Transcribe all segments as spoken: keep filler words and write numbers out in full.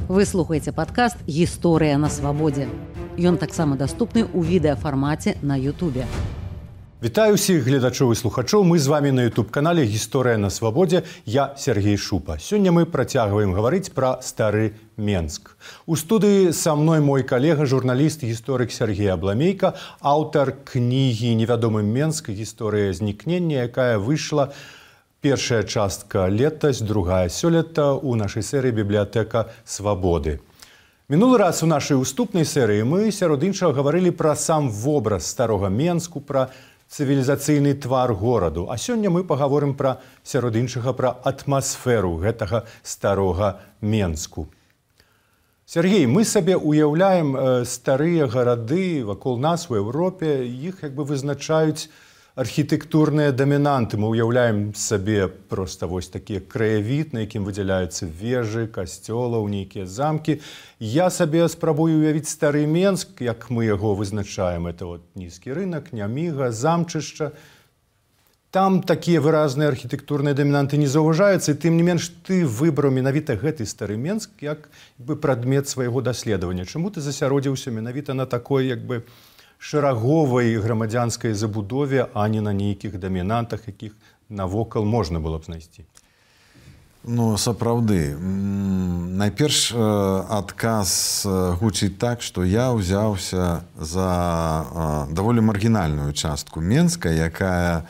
Вы слухаеце падкаст «Гісторыя на свабодзе». Ён таксама даступны ў відэафармаце на Ютубе. Вітаю ўсіх гледачоў і слухачоў. Мы з вами на ютуб-канале «Гісторыя на свабодзе». Я Сергей Шупа. Сёння мы працягваем гаварыць пра стары Менск. У студыі са мной мой калега, журналіст, гісторык Сергей Абламейка, аўтар кнігі «Невядомы Менск. Гісторыя знікнення», якая выйшла першая частка летась, другая сёлета ў нашай серыі «Бібліятэка свабоды». Мінулы раз у нашай уступнай серыі мы сярод іншага гаварылі пра сам вобраз старога Менску, пра цывілізацыйны твар гораду. А сёння мы пагаворым пра сярод іншага пра атмасферу гэтага старога Менску. Сергей, мы сабе уяўляем э, старыя гарады вакол нас у Еўропе, іх як бы вызначаюць архітэктурныя дамінанты. Мы уяўляем сабе проста вось такі краявід, на якім выдзяляюцца вежы, касцёлаў, нейкія замкі. Я сабе спрабую уявіць стары Менск, як мы яго вызначаем. Это вот нізкі рынак, няміга, замчышча. Там такія выразныя архітэктурныя дамінанты не заўважаюцца, і тым не менш ты выбраў менавіта гэты стары Менск як бы прадмет свайго даследавання. Чаму ты засяродзіўся менавіта на такой як бы шараговай грамадзянскай забудове, а не на нейкіх дамінантах, якіх навокал можна было б знайсці? Ну, сапраўды. Найперш адказ гучыць так, што я ўзяўся за даволі маргінальную частку Менска, якая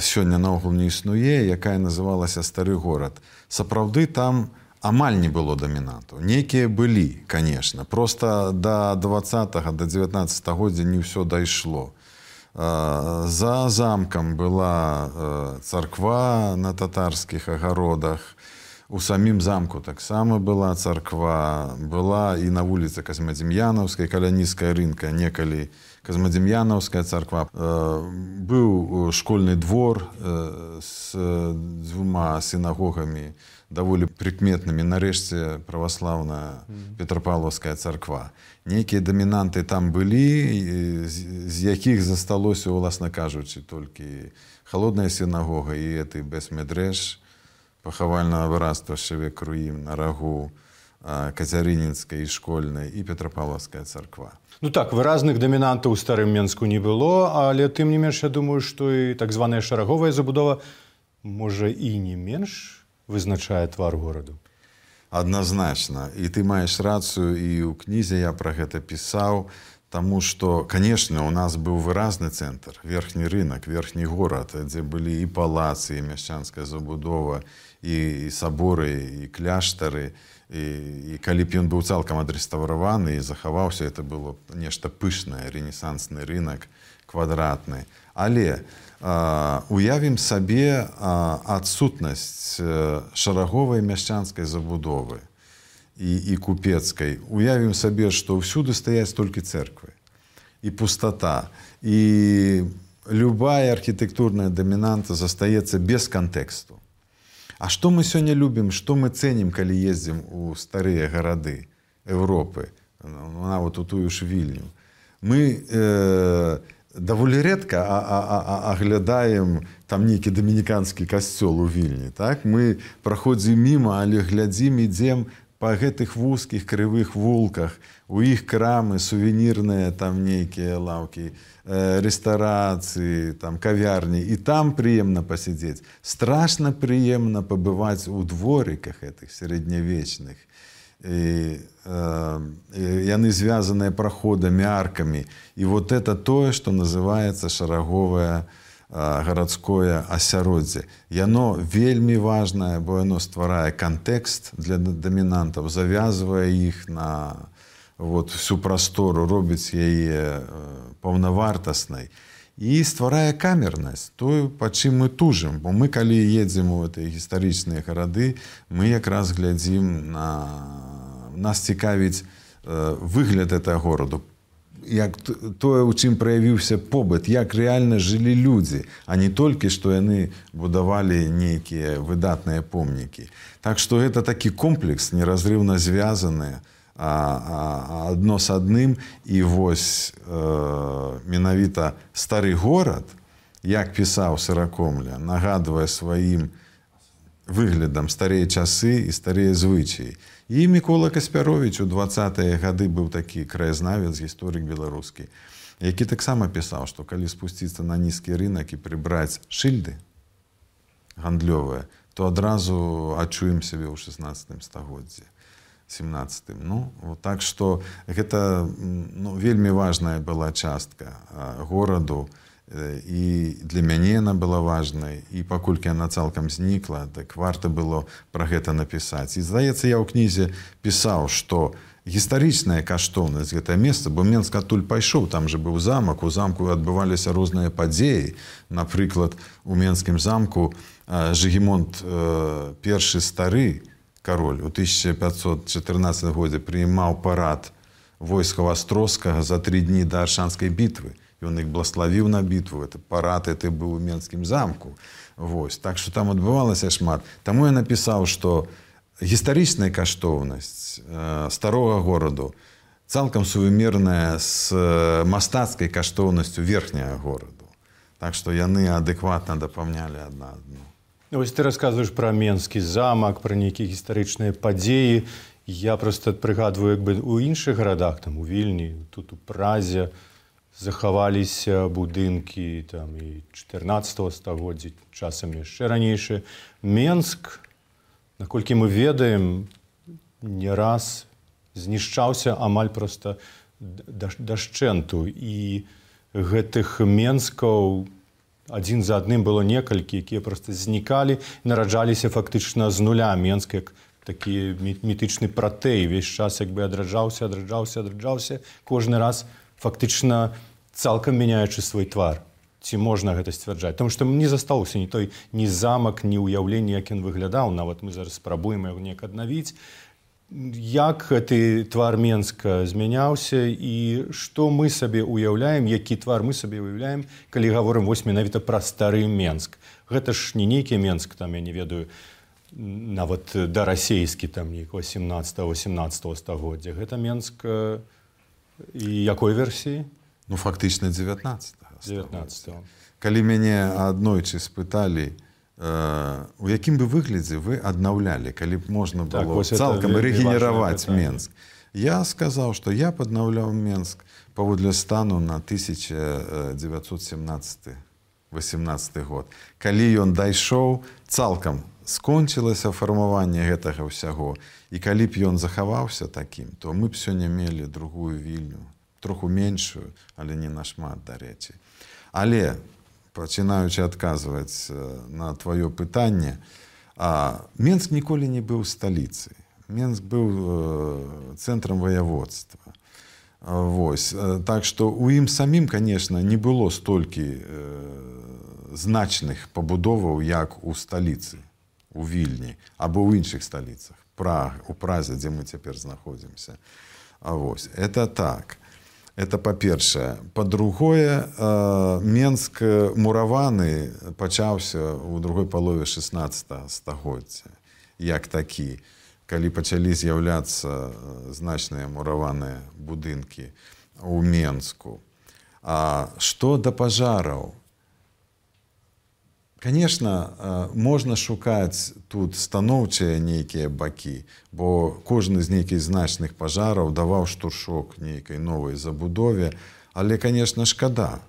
сёння наогул не існуе, якая называлася Стары горад. Сапраўды там амаль не было дамінантаў. Нейкія былі, конечно. Просто до двадцатага, до дзевятнаццатага годдзя не ўсё дайшло. За замкам была царква на татарскіх агародах. У самім замку таксама была царква. Была і на вуліцы Казмадзім'янаўскай, каля нізкая рынка, некалі Казмадзім'янаўская царква. Быў школьны двор з дзвюма сінагогамі, даволі прыкметнымі, нарэшце праваслаўная Петрапаўлаўская царква. Нейкія дамінанты там былі, з якіх засталося, уласна кажучы, толькі халодная сінагога і эты бес-медрэш, пахавальнага выраства Шевек Руім на рагу Кацярынінскай і школьнай і Петрапаўлаўская царква. Ну так, выразных дамінантаў у старым Менску не было, але тым не менш, я думаю, што і так званая шараговая забудова можа і не менш вызначае твар гораду. Адназначна. І ты маеш рацыю, і ў кнізе я пра гэта пісаў, таму што, канешне, у нас быў выразны цэнтр, верхні рынак, верхні горад, дзе былі і палацы, і мяшчанская забудова, і, і саборы, і кляштары. І, і калі б ён быў цалкам адрэстаўраваны і захаваўся, это было нешта пышнае, рэнесансны рынак, квадратны. Але Uh, уявім сабе uh, адсутнасць uh, шараговай мяшчанскай забудовы і, і купецкай. Уявім сабе, што ўсюды стаяць толькі цэрквы. І пустата. І любая архітэктурная дамінанта застаецца без кантэксту. А што мы сёння любім, што мы цэнім, калі ездзім у старыя гарады Еўропы, нават у тую ж Вільню? Мы э, даволі рэдка аглядаем там нейкі дамініканскі касцёл у Вільні. Так? Мы праходзім міма, але глядзім, ідзем па гэтых вузкіх крывых вулках. У іх крамы, сувенірныя там нейкія лаўкі, рэстарацыі, там кавярні. І там прыемна пасядзець. Страшна прыемна пабываць у дворыках гэтых сярэднявечных. І, э, яны звязаныя праходамі, аркамі. І вот это тое, што называецца шараговае э, гарадское асяроддзе. Яно вельмі важнае, бо яно стварае кантэкст для дамінантаў, завязвае іх на вот, всю прастору, робіць яе э, паўнавартаснай. І стварае камернасць, тое, па чым мы тужым. Бо мы, калі едзем у гэтыя гістарычныя гарады, мы якраз глядзім на... Нас цікавіць э, выгляд гэтага гораду, як тое, у чым праявіўся побыт, як рэальна жылі людзі, а не толькі, што яны будавалі нейкія выдатныя помнікі. Так што гэта такі комплекс, неразрыўна звязаны а, а, адно з адным. І вось э, менавіта стары горад, як пісаў Сыракомля, нагадвае сваім выглядам, старыя часы і старыя звычаі. І Мікола Каспяровіч у дваццатыя гады быў такі краязнавец, гісторык беларускі, які таксама пісаў, што калі спусціцца на нізкі рынак і прыбраць шыльды гандлёвыя, то адразу адчуем сябе ў шаснаццатым стагоддзі, семнаццатым. Ну, так што гэта ну, вельмі важная была частка гораду, і для мяне яна была важнай, і паколькі яна цалкам знікла, так варта было пра гэта напісаць. І здаецца, я ў кнізе пісаў, што гістарычная каштоўнасць гэтае месца, бо Менск адтуль пайшоў, там же быў замак, у замку адбываліся розныя падзеі. Напрыклад, у Менскім замку Жыгімонт першы стары кароль у тысяча пятьсот чатырнаццатым годзе прыймаў парад войскаў Астроскага за тры дні да Аршанскай бітвы. Ён іх благословіў на бітву, это парад, это быў у Менскім замку. Вось. Так што там адбывалася шмат. Таму я напісаў, што гістарычная каштоўнасць э, старога гораду цалкам сувымерная з мастацкай каштоўнасцю верхняга гораду. Так што яны адэкватна дапаўнялі адна адну. Вось ты расказваеш пра Менскі замак, пра нейкія гістарычныя падзеі. Я проста прыгадваю, як бы у іншых гарадах, там у Вільні, тут у Празе, захаваліся будынкі там і чатырнаццатага стагоддзя, часам яшчэ ранейшыя. Менск, наколькі мы ведаем, не раз знішчаўся амаль проста дашчэнту. І гэтых Менскаў адзін за адным было некалькі, якія проста знікалі, нараджаліся фактычна з нуля. Менск як такі мітычны пратэй, увесь час як бы адраджаўся, адраджаўся, адраджаўся, кожны раз фактычна цалкам мяняючы свой твар. Ці можна гэта сцвярджаць? Таму што не застаўся ні той ні замак, ні ўяўленне, як ён выглядаў. Нават мы зараз спрабуем яго неяк аднавіць. Як гэты твар Менска змяняўся і што мы сабе ўяўляем, які твар мы сабе ўяўляем, калі гаворым вось менавіта пра стары Менск. Гэта ж не нейкі Менск, там, я не ведаю, нават дарасейскі, там, нейкого сямнаццатага-восемнаццатага стагоддзя. Гэта Менск і якой версіі? Ну, фактычна дзевятнаццатага. дзевятнаццатага. Калі мяне аднойчы спыталі, у якім бы выглядзе вы аднаўлялі, калі б можна было так, цалкам рэгенераваць Менск. Я сказаў, што я б аднаўляў Менск паводле стану на тысяча дзевяцьсот семнаццаты — восемнаццаты год. Калі ён дайшоў, цалкам скончылася фармаванне гэтага ўсяго, і калі б ён захаваўся такім, то мы б сёння мелі другую Вільню, троху меншую, але не нашмат, дарэчы. Але, пачынаючы адказваць на тваё пытанне, Менск ніколі не быў сталіцай. Менск быў цэнтрам ваяводства. Вось. Так што ў ім самім, канешне, не было столькі значных пабудоваў, як у сталіцы, у Вільні, або ў іншых сталіцах, у Празе, дзе мы цяпер знаходзімся. Вось. Это так. Это па-першае. Па-другое, Менск мураваны пачаўся ў другой палове шаснаццатага стагоддзя, як такі, калі пачалі з'яўляцца значныя мураваныя будынкі ў Менску. А што да пажараў? Конечно, можна шукаць тут станоўчыя нейкія бакі, бо кожны з нейкіх значных пажараў даваў штуршок нейкай новай забудове, але, конечно, шкада.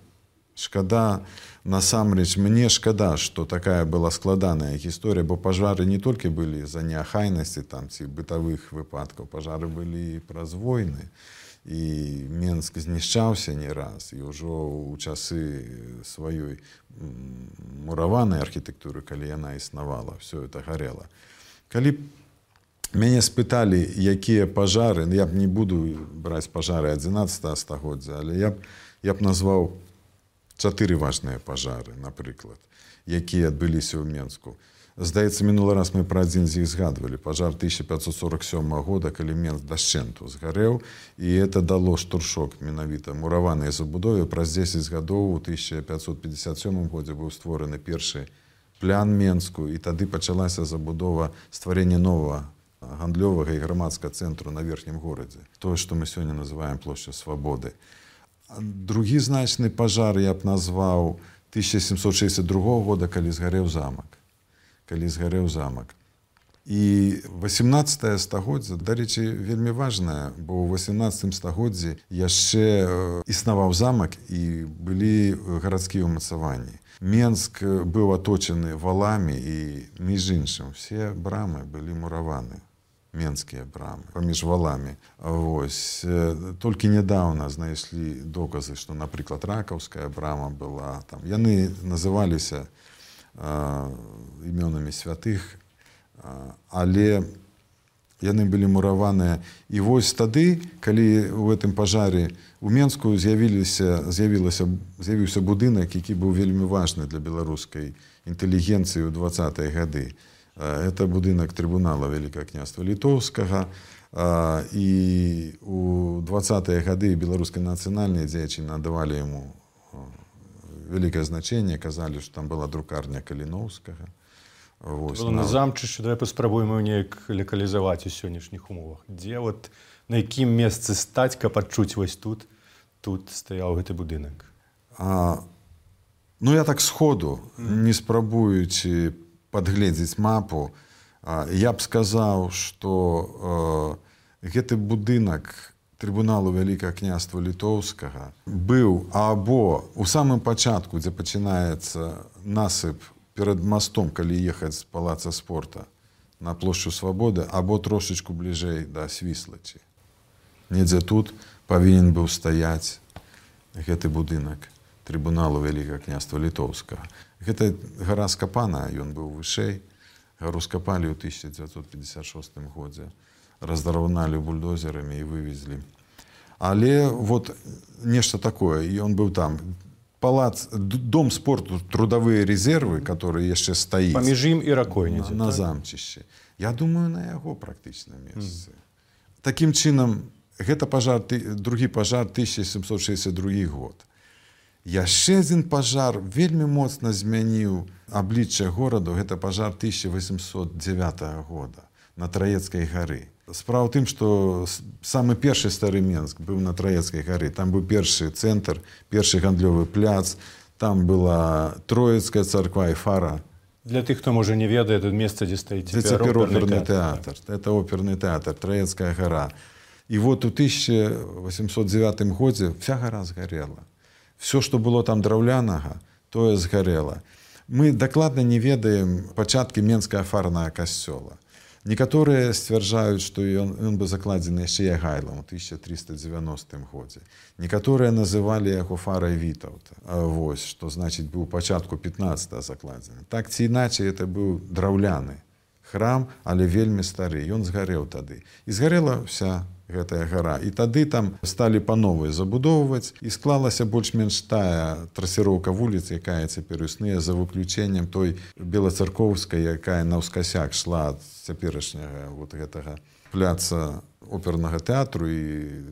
Шкада, насамрэч, мне шкада, што такая была складаная гісторыя, бо пажары не толькі былі за неахайнасці там ці бытавых выпадкаў, пажары былі і праз войны. І Менск знішчаўся не раз, і ўжо ў часы сваёй мураванай архітэктуры, калі яна існавала, все это гарела. Калі мяне спыталі, якія пажары, я б не буду браць пажары адзінаццатага стагоддзя, але я б, я б назваў чатыры важныя пажары, напрыклад, якія адбыліся ў Менску. Здаецца, мінулы раз мы пра адзін з іх згадвалі. Пажар тысяча пятьсот сорок сёмага года, калі Менск дашчэнту згарэў, і это дало штуршок менавіта мураванай забудове. Праз дзесяць гадоў у тысяча пятьсот пятьдесят сёмым годзе быў створаны першы плян Менску, і тады пачалася забудова стварэння новага гандлёвага і грамадскага цэнтру на верхнім горадзе. Тое, што мы сёння называем плошча Свабоды. Другі значны пажар я б назваў тысяча сямсот шэсцьдзясят другога года, калі згарэў замак. Калі згарэў замак. І васемнаццатае стагоддзе, дарэчы, вельмі важнае, бо ў васемнаццатым стагоддзі яшчэ існаваў замак і былі гарадскія ўмацаванні. Менск быў аточаны валамі і, між іншым, все брамы былі мураваны, менскія брамы, паміж валамі. Вось. Толькі нядаўна знайшлі доказы, што, напрыклад, ракаўская брама была там. Яны называліся а, імёнамі святых, а, але яны былі мураваныя. І вось тады, калі ў гэтым пажары у Менску з'явіліся, з'явілася, з'явіўся будынак, які быў вельмі важны для беларускай інтэлігенцыі ў дваццатыя гады. Это будынак трыбунала Вялікага княства Літоўскага. І ў дваццатыя гады беларускай нацыянальнай дзеячы надавалі яму вялікае значэнне, казалі, што там была друкарня Каліноўскага. Вось, на замчышчы, давай паспрабуем неяк лакалізаваць у сённяшніх умовах. Дзе, от, на якім месцы стаць, каб адчуць вось тут, тут стаяў гэты будынак? А, ну, я так сходу, не спрабуючы падгледзець мапу, а, я б сказаў, што а, гэты будынак трыбуналу Вялікага княства Літоўскага быў або ў самым пачатку, дзе пачынаецца насып перад мостом, калі ехаць з палаца спорта на плошчу Свабоды, або трошечку бліжэй да Свіслачы. Недзе тут павінен быў стаяць гэты будынак трыбуналу Вялікага княства Літоўскага. Гэта гара скапана, ён быў вышэй. Гару скапалі ў тысяча дзевяцьсот пятьдесят шостым годзе. Раздараўналі бульдозерамі і вывезлі. Але вот нешта такое, і ён быў там. Палац, дом спорту, трудовые резервы, которые яшчэ стаіць. Паміж ім і ракой недзе, на, на так? замчышчы. Я думаю, на яго практычна месцы. Mm. Такім чынам, гэта пажар, другі пажар тысяча сямсот шэсцьдзесят другі год. Яшчэ адзін пажар вельмі моцна змяніў аблічча гораду, гэта пажар тысяча восемьсот дзевятага года на Траецкай гары. Справа ў тым, што самы першы стары Менск быў на Траецкай гары. Там быў першы цэнтр, першы гандлёвы пляц, там была Троецкая царква і фара. Для тых, хто, можа, не ведае, тут месца, дзе стаіць цяпер оперны тэатр. Это оперны тэатр, Траецкая гара. І вот у тысяча восемьсот дзевятым годзе вся гара згарела. Все, што было там драўлянага, тое згарела. Мы дакладна не ведаем пачаткі Менскага фарнага касцёла. Некаторыя сцвярджаюць, што ён, ён быў закладзены яшчэ Ягайлам у тысяча трыста дзевяностым годзе. Некаторыя называлі яго фарай Вітаўта. Вось, што значыць быў пачатку пятнаццатага закладзены. Так ці іначай, это быў драўляны храм, але вельмі стары. Ён згарэў тады. І згарела вся гэтая гара. І тады там сталі па новай забудоўваць, і склалася больш-менш тая трасіроўка вуліц, якая цяпер існуе, за выключэннем той белацаркоўскай, якая наўскасяк шла ад цяперашняга вот гэтага пляца опернага тэатру і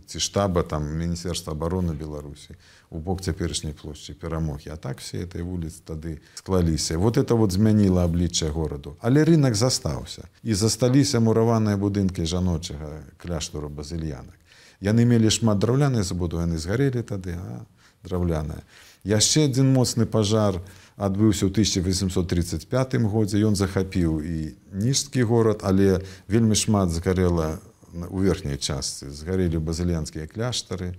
ці штаба там Міністэрства абароны Беларусі у бок цяперашняй плошчы Перамогі. А так все этой вуліцы тады склаліся. Вот это вот змяніла аблічча гораду. Але рынок застаўся. І засталіся мураваныя будынкі жаночага кляштару базыльянак. Яны мелі шмат драўлянай забудовы, яны згарэлі тады, а драўляная. Яшчэ адзін моцны пажар адбыўся ў тысяча восемьсот тридцать пятым годзе. Ён захапіў і ніжскі горад, але вельмі шмат згарэла у верхняй частцы. Згарэлі базыльянскія кляштары.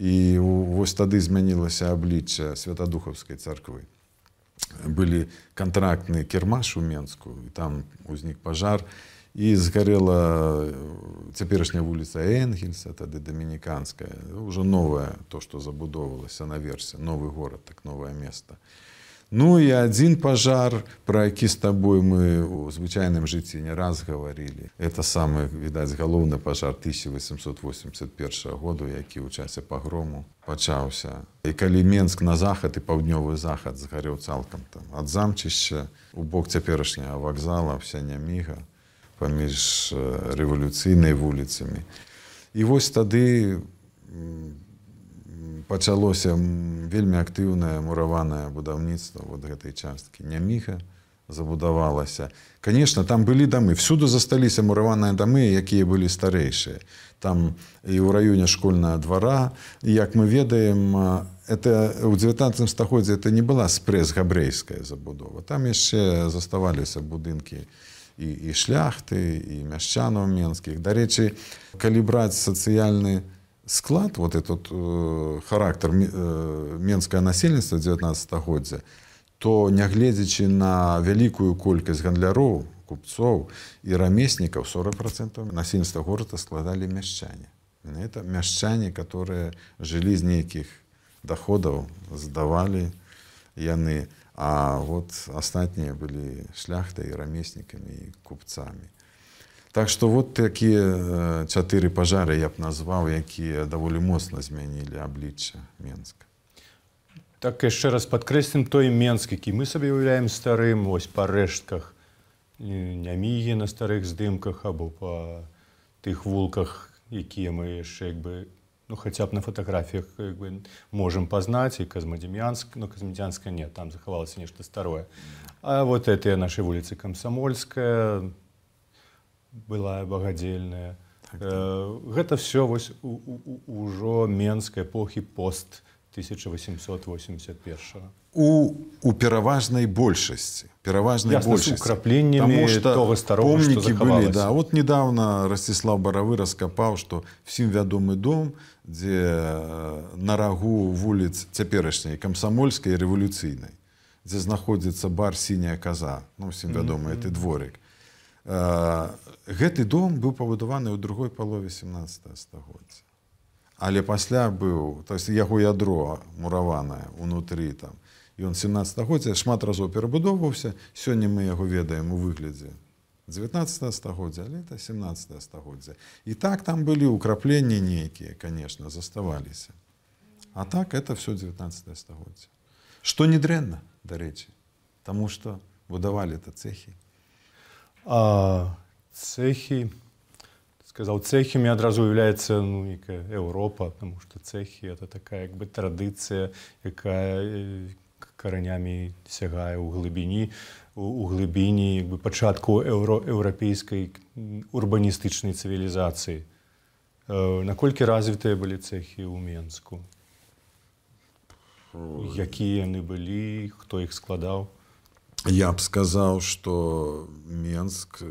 І вось тады змянілася аблічча Святадухаўскай царквы. Былі кантрактны кірмаш у Менску, і там узнік пажар, і згарэла цяперашняя вуліца Энгельса, тады Дамініканская, ўжо новае, то, што забудоўвалася наверсе, новы горад, так новае место. Ну і адзін пажар, пра які з табой мы ў звычайным жыцці не раз гаварылі. Это самы, відаць, галоўны пажар тысяча восемьсот восемьдесят першага году, які ў часе пагрому пачаўся. І калі Менск на захад і паўднёвы захад згарэў цалкам там, ад замчышча у бок цяперашняга вакзала, вся няміга, паміж рэвалюцыйнай вуліцамі. І вось тады пачалося вельмі актыўнае мураванае будаўніцтва вот гэтай часткі. Няміга забудавалася. Конечно, там былі дамы. Всюду засталіся мураваныя дамы, якія былі старэйшыя. Там і ў раёне школьнага двара. І, як мы ведаем, это, у дзевятнаццатым стагоддзі это не была спрэс-габрэйская забудова. Там яшчэ заставаліся будынкі і, і шляхты, і мяшчанаў менскіх. Дарэчы, калі браць сацыяльны склад, вот этот э, характар э, менскае насельніцтва дзевятнаццатага годдзя, то нягледзячы на вялікую колькасць гандляроў, купцоў і рамеснікаў, сорок процентов насельніцтва горада складалі мяшчане. Это мяшчане, которые жылі з нейкіх доходаў, здавалі яны, а вот астатнія былі шляхтай, рамеснікамі і купцамі. Так што вот такія чатыры пажары я б назваў, якія даволі моцна змянілі аблічча Менска. Так яшчэ раз падкрэслім той Менск, які мы сабе уяўляем старым, ось па рэштках Нямігі на старых здымках або па тых вулках, якія мы яшчэ як бы, ну, хаця б на фотаграфіях як бы можам пазнаць, і Казмадем'янск, ну, Казмадем'янска нет, там захавалася нешта старое. А вот гэтыя нашы вуліцы Камсамольская, былая Багадзельная. Так, так. Гэта все вось у, у, ўжо Менск эпохі пост тысяча восемьсот восемьдесят первого. У, у пераважнай большасці. Пераважнай Ясна, большасці. С украпленнями того старого, что захавалось. Были, да. Вот недавно Ростислав Боровы раскопал, что всем вядомы дом, где на рагу вуліц цяперашняй Камсамольскай і Рэвалюцыйнай, где знаходзіцца бар «Синяя коза», ну, всем вядомы, mm-hmm. гэты дворик. Гэты дом быў пабудаваны ў другой палове семнадцатага стагоддзя. Але пасля быў, то есть яго ядро мураванае унутры там, і ён семнадцатага стагоддзя шмат разоў перабудоўваўся. Сёння мы яго ведаем у выглядзе дзевятнаццатага стагоддзя, але это семнадцатага стагоддзя. І так там былі ўкрапленні нейкія, конечно, заставаліся. А так это все дзевятнаццатае стагоддзя. Што не дрэнна, дарэчы, таму што будавалі-то цэхі. А цехи, сказал, цехами одразу является, ну, некая Европа, потому что цехи это такая как бы традиция, якая коренями сягае у глибині, у глибині як би початку евро, європейської урбаністичної цивілізації. Наколькі развитые были цехи у Менску? Які вони були, хто їх складав? Я б сказаў, што Менск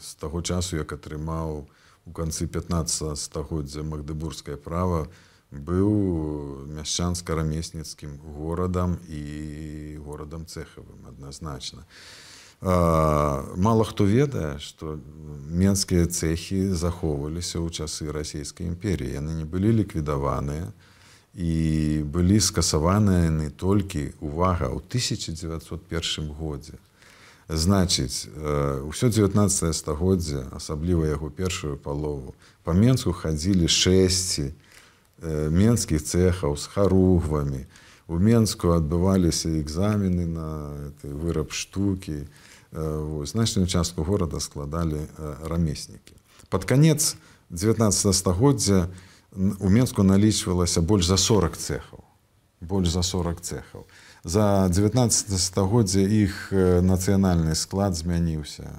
з таго часу, як атрымаў у канцы пятнаццатага стагоддзя магдыбургскае права, быў мяшчанска-рамесніцкім горадам і горадам цэхавым адназначна. Мала хто ведае, што менскія цэхі захоўваліся ў часы расійскай імперіі. Яны не былі ліквідаваныя і былі скасаваныя не толькі, увага, ў тысяча дзевяцьсот першым годзе. Значыць, ўсё дзевятнаццатае стагоддзя, асабліва яго першую палову, па Менску хадзілі шэсці менскіх цэхаў з харугвамі. У Менску адбываліся экзамены на выраб штукі. Значную частку горада складалі рамеснікі. Пад канец дзевятнаццатага стагоддзя у Менску налічвалася больш за сорок цэхаў. Больш за сорок цэхаў. За дзевятнаццатае стагоддзя іх нацыянальны склад змяніўся.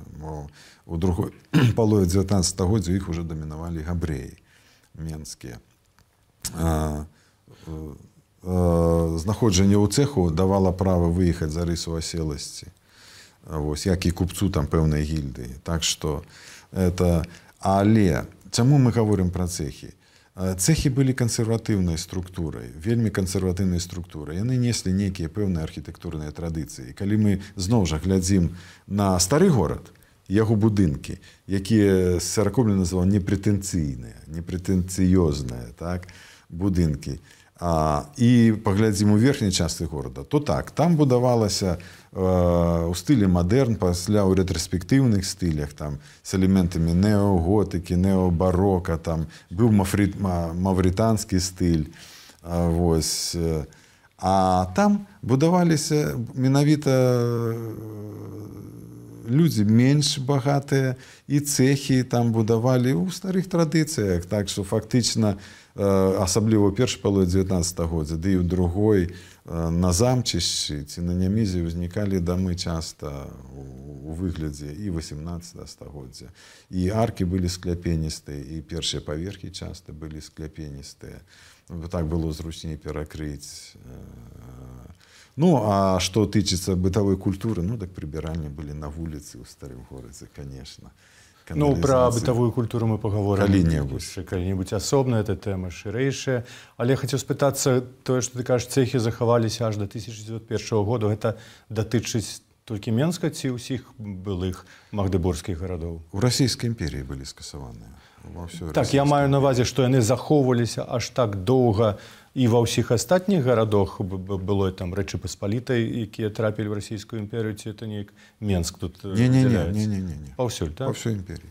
У другой палове дзевятнаццатага стагоддзя іх уже дамінавалі габрэі менскія. Знаходжанне ў цэху давала права выехаць за рысу аселасці. Вось, як і купцу там пэўнай гільдыі. Так што это... Але чаму мы гаворым пра цэхі? Цэхі былі кансерватыўнай структурай, вельмі кансерватыўнай структурай. Яны неслі нейкія пэўныя архітэктурныя традыцыі. Калі мы зноў жа глядзім на стары горад, яго будынкі, якія Сяракоблін называў непрэтэнцыйныя, непрэтэнцыёзныя, так, будынкі, а, і паглядзім у верхняй частцы горада, то так, там будавалася э, у стылі мадэрн, пасля ў рэтраспектыўных стылях, там, з элементамі неоготыкі, необарока, там, быў мафрит, маврытанскі стыль, а, вось, а там будаваліся менавіта людзі менш багатыя, і цэхі там будавалі ў старых традыцыях, так што фактычна асабліва ў першай палове дзевятнаццатага годдзя, ды і ў другой на замчышчы ці на Нямізе ўзнікалі дамы часта у выглядзе і васемнаццатага стагоддзя. І аркі былі скляпеністыя, і першыя паверхі часта былі скляпеністыя. Так было зручней перакрыць. Ну, а что тычыцца бытовой культуры, ну, так прибиральні были на улице у старым городе, конечно. Ну, про бытовую культуру мы поговорим. Калі-небудзь. Калі-небудзь асобна, эта тэма шырэйшая. Але я хацеў спытацца, тое, што ты кажаш, цэхі захаваліся аж да тысяча дзевяцьсот першага году, гэта датычыць толькі Менска ці ўсіх былых магдыборгскіх гарадоў? У Расійскай імперіі былі скасаваныя. Так, я маю на ўвазе, што яны захоўваліся аж так доўга і ва ўсіх астатніх гарадах было там Рэчы Паспалітай, якія трапілі ў Расійскую імперію, ці это неяк Менск тут выдзяляецца? Не-не-не. Паўсюль, так? Па ўсёй імперіі.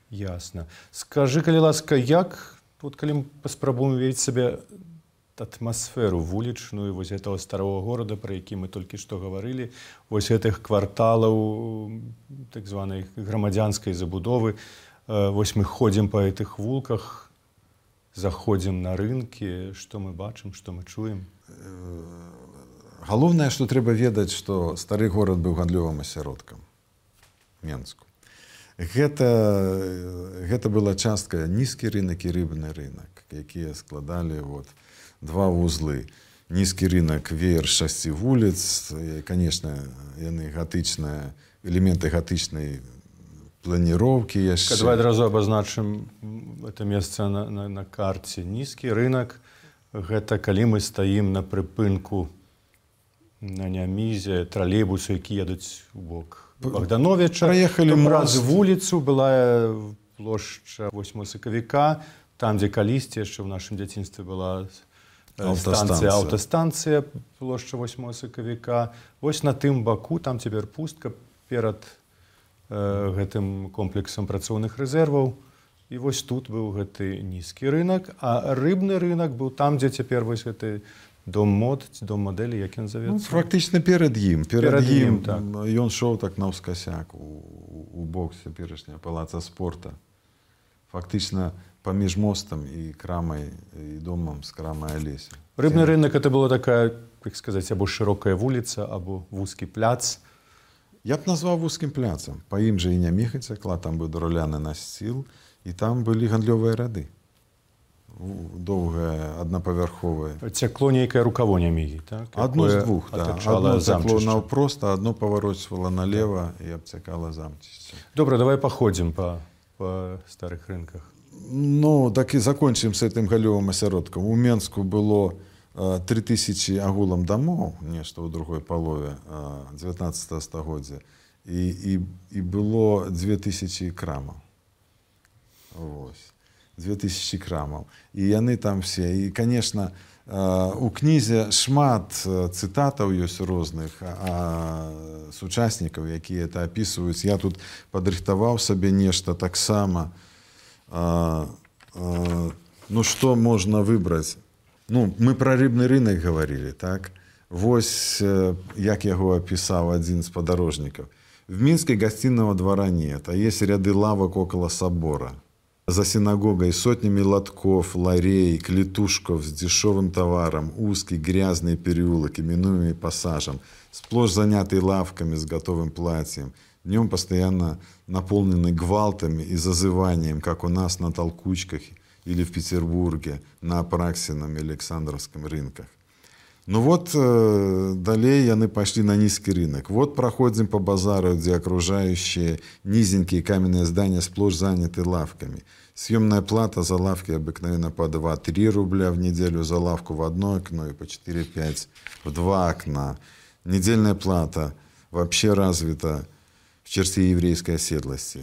Ясна. Скажы, калі ласка, як, вот калі мы паспрабуем уявіць сабе атмасферу вулічную вось гэтага старого горада, пра які мы толькі што гаварылі, вось гэтых кварталаў так званай грамадзянскай забудовы, вось мы ходзім па гэтых вулках, заходзім на рынкі, што мы бачым, што мы чуем? Галоўнае, што трэба ведаць, што стары горад быў гандлёвым асяродкам Менску. Гэта, гэта была частка нізкі рынак і рыбны рынак, якія складалі вот, два вузлы. Нізкі рынак веер шасці вуліц, і, конечно, яны гатычныя, элементы гатычнай планіроўкі яшчэ. Давай адразу абазначым это месца на, на, на карце. Нізкі рынак – гэта калі мы стаім на прыпынку на Нямізе, тралейбусы, які едуць у бок Богдановича. Праехалі праз вуліцу была плошча восьмага сакавіка, там, дзе калісьці яшчэ ў нашым дзяцінстве была станцыя, аўтастанцыя, плошча восьмага сакавіка. Вось на тым баку, там цяпер пустка перад гэтым комплексам працоўных рэзерваў. І вось тут быў гэты нізкі рынак, а рыбны рынак быў там, дзе цяпер вось гэты дом мод, дом мадэлі, як ён завецца? Ну, фактычна перад ім. Перад, перад ім, так. Ён шоў так наўскасяк у, у бок цяперашняга палаца спорта. Фактычна паміж мостам і крамай, і домам з крамай Алеся. Рыбны рынак это была такая, як сказаць, або шырокая вуліца, або вузкі пляц. Я б назваў вузкім пляцам. Па ім жа і Няміха цякла, там быў драўляны насціл, і там былі гандлёвыя рады. Доўгае, аднапавярховае. Цякло нейкае рукаво Нямігі, так? Адно з двух, так. Адно цякло наўпрост, а адно паварочвала налева і абцякала замчышча. Добра, давай паходзім па, па старых рынках. Ну, так і закончым з гэтым галёвым асяродкам. У Менску было тры тысячы агулам дамоў, нешта ў другой палове дзевятнаццатага стагоддзя, і, і, і было дзве тысячы крамаў. Вось. Дзве тысячы крамаў. І яны там все. І, конечно, у кнізе шмат цытатаў ёсць розных сучаснікаў, якія это апісваюць. Я тут падрыхтаваў сабе нешта таксама. Ну, што можна выбраць? Ну, мы пра рыбны рынок гаварілі, так? Вось як яго апісаў адзін з падарожнікаў. В Минске гостиного двора нет, а есть ряды лавок около собора. За синагогой сотнями лотков, ларей, клетушков с дешевым товаром, узкий грязный переулок, именуемый пассажем, сплошь занятый лавками с готовым платьем, днем постоянно наполненный гвалтами и зазыванием, как у нас на толкучках или в Петербурге, на Апраксином и Александровском рынках. Ну вот, э, далее яны пошли на низкий рынок. Вот проходим по базару, где окружающие низенькие каменные здания сплошь заняты лавками. Съемная плата за лавки обыкновенно по два-три рубля в неделю за лавку в одно окно и по четыре-пять в два окна. Недельная плата вообще развита в черте еврейской оседлости.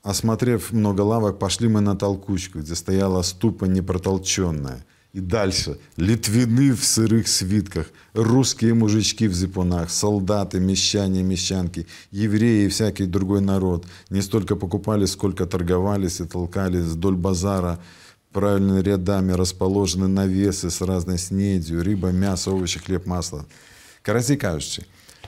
Осмотрев много лавок, пошли мы на толкучку, где стояла ступа непротолченная. И дальше литвины в сырых свитках, русские мужички в зипунах, солдаты, мещане, мещанки, евреи и всякий другой народ. Не столько покупали, сколько торговались и толкались вдоль базара. Правильными рядами расположены навесы с разной снедью, рыба, мясо, овощи, хлеб, масло. Короче кажучи,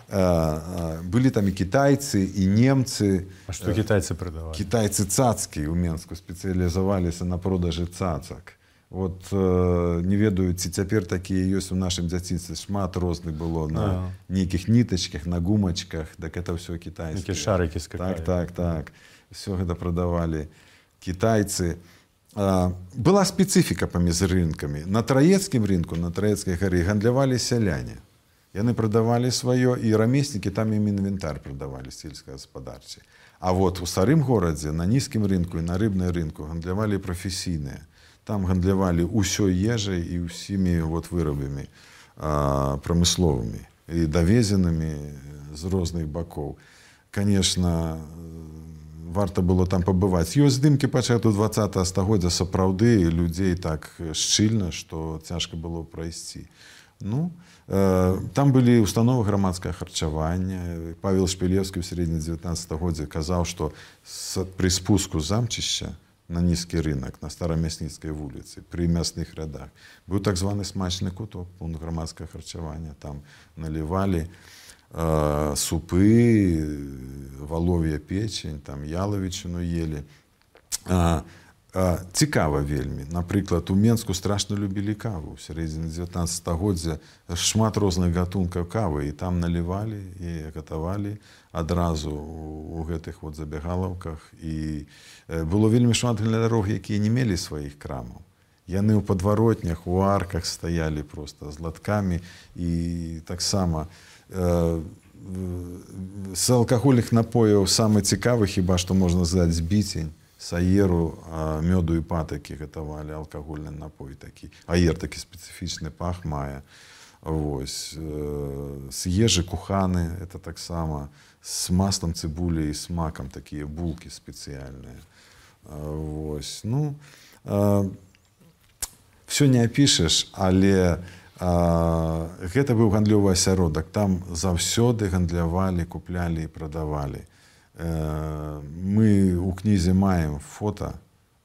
были там и китайцы, и немцы. А что китайцы продавали? Китайцы цацкие у Менску специализовались на продаже цацак. Вот э, не ведаю, ці цяпер такія ёсць у нашым дзяцінстве. Шмат розных было на а. нейкіх нітачках, на гумачках, так это ўсё кітайскае. Нейкія шарыкі скакалі. Так, так, так. Все гэта прадавалі кітайцы. была спецыфіка паміж рынкамі. На Траецкім рынку, на Траецкай гары гандлявалі сяляне. Яны прадавалі сваё, і рамеснікі там ім інвентар прадавалі сельскагаспадарчы. А вот у старым горадзе, на нізкім рынку і на рыбнай рынку гандлявалі прафесійныя. Там гандлявалі ўсёй ежай і ўсімі вот вырабамі прамысловымі і давезенымі з розных бакоў. Конечно, варта было там пабываць. Ёсць здымкі пачатку дваццатага стагоддзя сапраўды людзей так шчыльна, што цяжка было прайсці. Ну, э, там былі установы грамадскага харчавання. Павел Шпілеўскі ў сярэдзіне дзевятнаццатага годзе казаў, што пры спуску замчышча на нізкі рынок, на Старамясніцкай вуліцы, пры мясных радах, быў так званы смачны куток, пункт грамадскага харчавання. Там налівалі э, супы, валов'я печень, там ялавічыну ели. А, а, цікава вельмі. Напрыклад, у Менску страшна любілі каву. У сярэдзіне дзевятнаццатага годдзя шмат розных гатункаў кавы, і там налівалі і гатавалі адразу у гэтых вот забегалаўках. І было вельмі шмат глядарог, якія не мелі сваіх крамаў. Яны ў падваротнях, у арках стаялі просто з латкамі. І таксама э, з алкагольных напояў самы цікавы, хіба што можна сказаць, збіцень, саеру, мёду і патакі гатавалі, алкагольны напой такі. Аер такі спецыфічны пах мае. Вось. З ежы куханы, это таксама з маслом цыбулі і з макам такія булкі спецыяльныя. Вось. Ну, все не апішаш, але а, гэта быў гандлёвы асяродак. Там заўсёды гандлявалі, куплялі і прадавалі. Э, мы ў кнізе маем фота,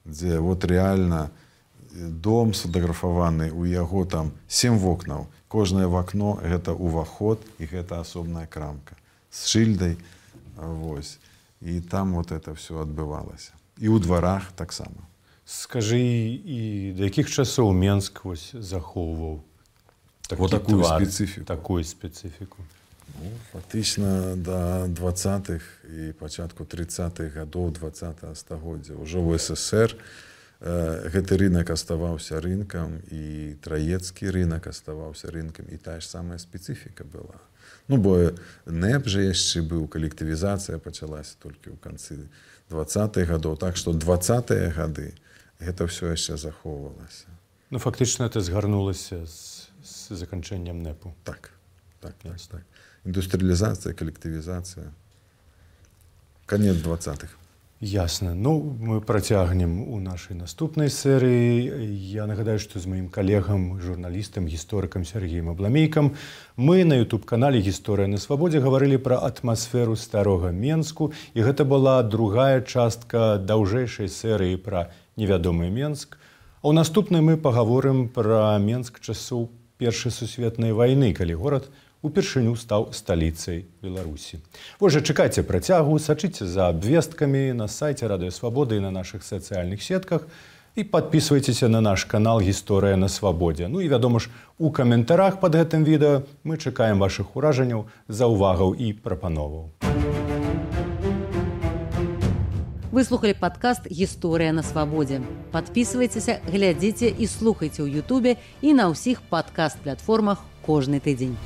дзе вот реально дом сфотаграфаваны, у яго там сем вокнаў. Кожнае вакно гэта уваход і гэта асобная крамка з шыльдай. Вось. І там вот это все адбывалася. І ў дварах таксама. Скажы, і да якіх часоў Менск вось захоўваў вот такую твар, спецыфіку? Такую спецыфіку. Ну, фактычна да двадцатых і пачатку трыццатых гадоў двадцатага стагоддзя. Ужо ў СССР э, гэты рынок аставаўся рынкам, і Траецкі рынок аставаўся рынкам, і тая ж самая спецыфіка была. Ну, бо НЭП жа яшчэ быў, калектывізацыя пачалася толькі ў канцы двадцатых гадоў. Так што двадцатыя гады гэта ўсё яшчэ захоўвалася. Ну, фактычна это згарнулася з, з заканчэннем НЭПу. Так, так, так, так. Індустрыялізацыя, калектывізацыя. Канец двадцатых. Ясна. Ну, мы працягнем у нашай наступнай серыі. Я нагадаю, што з маім калегам, журналістам, гісторыкам Сергеем Абламейкам мы на ютуб-канале «Гісторыя на свабодзе» гаварылі пра атмасферу старога Менску, і гэта была другая частка даўжэйшай серыі пра невядомы Менск. А ў наступнай мы пагаворым пра Менск часоў Першай сусветнай вайны, калі горад упершыню стаў сталіцай Беларусі. Вось жа, чакайце працягу, сачыце за абвесткамі на сайце Радыё Свабода і на нашых сацыяльных сетках і падпісвайцеся на наш канал «Гісторыя на свабодзе». Ну і, вядома ж, у каментарах пад гэтым відэа мы чакаем вашых уражанняў, заўвагаў і прапановаў. Вы слухали падкаст «Гісторыя на свабодзе». Падпісвайцеся, глядзіце і слухайце ў Ютубе і на ўсіх падкаст-платформах кожны тыдзень.